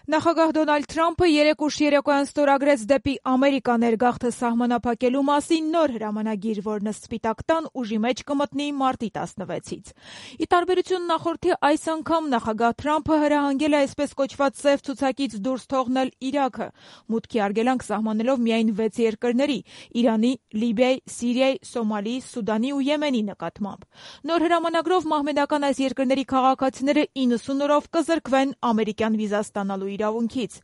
Նախագահ Դոնալդ Թրամփը երեկ ուշ երեկոյան ստորագրեց դեպի Ամերիկա ներգաղթը սահմանափակելու մասին նոր հրամանագիր, որն ըստ Սպիտակ տան ուժի մեջ կմտնի մարտի 16-ից։ Ի տարբերություն նախորդի, այս անգամ նախագահ Թրամփը հրահանգել է այսպես կոչված սև ցուցակից դուրս թողնել Իրաքը, մուտքի արգելանք սահմանելով միայն 6 երկրների՝ Իրանի, Լիբիայի, Սիրիայի, Սոմալիի, Սուդանի ու Եմենի նկատմամբ։ Նոր հրամանագրով մահմեդական այս երկրների քաղաքացիները 90 օրով կզրկվեն ամերիկյան վիզա ստանալու իրավունքից։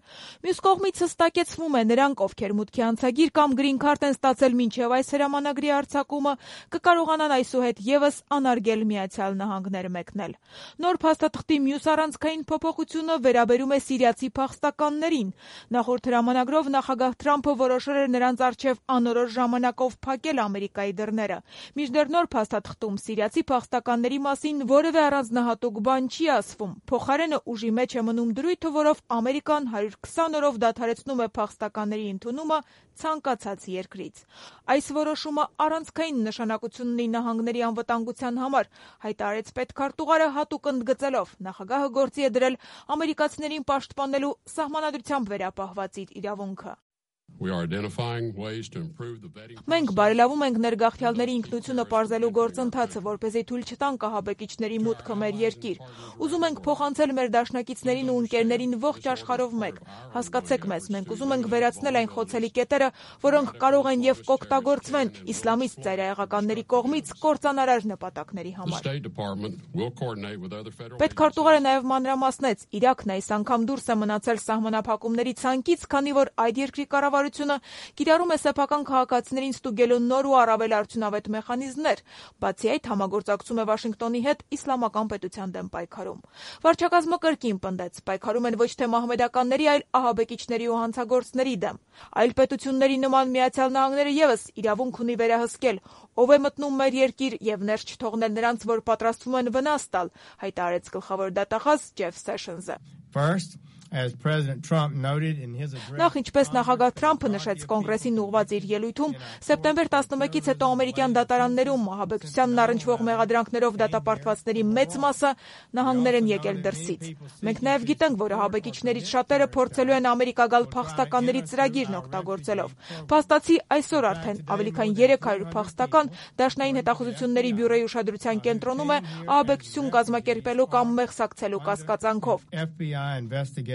Մյուս կողմից հստակեցվում է, նրանք, ովքեր մուտքի անցագիր կամ գրին քարտ են ստացել մինչև այս հրամանագրի արձակումը, կկարողանան այսուհետ ևս անարգել Միացյալ Նահանգներ մեկնել։ Նոր փաստաթղթի մյուս առանցքային փոփոխությունը վերաբերում է սիրիացի փախստականներին։ Նախորդ հրամանագրով նախագահ Թրամփը որոշել էր նրանց առջև անորոշ ժամանակով փակել Ամերիկայի դռները։ Մինչդեռ նոր փաստաթղթում սիրիացի փախստականների մասին որևէ առանձնահատուկ բան չի ասվում։ Փոխարենը ուժի մեջ է մնում դրույթը, որով Ամերիկան 120 օրով դադարեցնում է փախստականների ընդունումը ցանկացած երկրից։ Այս որոշումը առանցքային նշանակություն ունի նահանգների անվտանգության համար, հայտարարեց պետքարտուղարը հատուկ ընդգծելով. նախագահը գործի է դրել ամերիկացիներին պաշտպանելու սահմանադրությամբ վերապահված իր իրավունքը։ Մենք բարելավում ենք ներգաղթյալների ինքնությունը պարզելու գործընթացը, որպեսզի թույլ չտանք ահաբեկիչների մուտքը մեր երկիր։ Ուզում ենք փոխանցել մեր դաշնակիցներին ու ընկերներին ողջ աշխարհով մեկ։ Հասկացեք մեզ, մենք ուզում ենք վերացնել այն խոցելի կետերը, որոնք կարող են եւ կօգտագործվեն իսլամիստ ծայրահեղականների կողմից կործանարար նպատակների համար։ Պետքարտուղարը նաեւ մանրամասնեց, Իրաքն այս անգամ դուրս է մնացել սահմանափակումների ցանկից, քանի որ այդ երկրի կառավարությունը կիրառում է սեփական քաղաքացիներին ստուգելու նոր ու առավել արդյունավետ մեխանիզմներ, բացի այդ համագործակցում է Վաշինգտոնի հետ իսլամական պետության դեմ պայքարում։ Վարչակազմը կրկին պնդեց, պայքարում են ոչ թե մահմեդականների, այլ ահաբեկիչների ու հանցագործների դեմ։ Այլ պետությունների նման Միացյալ Նահանգները ևս իրավունք ունի վերահսկել, ով է մտնում մեր երկիր եւ ներս չթողնել նրանց, որ պատրաստվում են վնաս տալ, հայտարարեց գլխավոր դատախազ Ջեֆ Սեշնսը։ Նախ, ինչպես նախագահ Թրամփը նշեց կոնգրեսին ուղղված իր ելույթում, սեպտեմբեր 11-ից հետո ամերիկյան դատարաններում ահաբեկչությանն առնչվող մեղադրանքներով դատապարտվածների մեծ մասը նահանգներ են եկել դրսից։ Մենք նաև գիտենք, որ ահաբեկիչներից շատերը փորձելու են Ամերիկա գալ փախստականների ծրագիրն օգտագործելով։ Փաստացի այսօր արդեն ավելի քան 300 փախստական Դաշնային հետախուզությունների բյուրոյի ուշադրության կենտրոնում է ահաբեկչություն կազմակերպելու կամ մեղսակցելու կասկածանքով։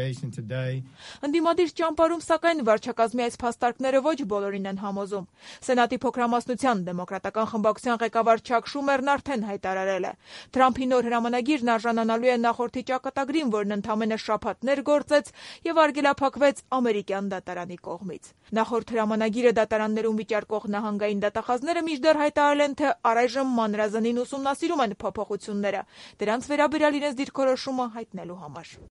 Ընդդիմադիր ճամբարում, սակայն, վարչակազմի այս փաստարկները ոչ բոլորին են համոզում։ Սենատի փոքրամասնության դեմոկրատական խմբակցության ղեկավար Չակ Շումերն արդեն հայտարարել է. Թրամփի նոր հրամանագիրն արժանանալու է նախորդի ճակատագրին, որն ընդամենը շաբաթներ գործեց եւ արգելափակվեց ամերիկյան դատարանի կողմից։ Նախորդ հրամանագիրը դատարաններում վիճարկող նահանգային դատախազները մինչդեռ հայտարարել են, թե առայժմ մանրազնին ուսումնասիրում են փոփոխությունները, դրանց վերաբերյալ իրենց դիրքորոշումը հայտնելու համար։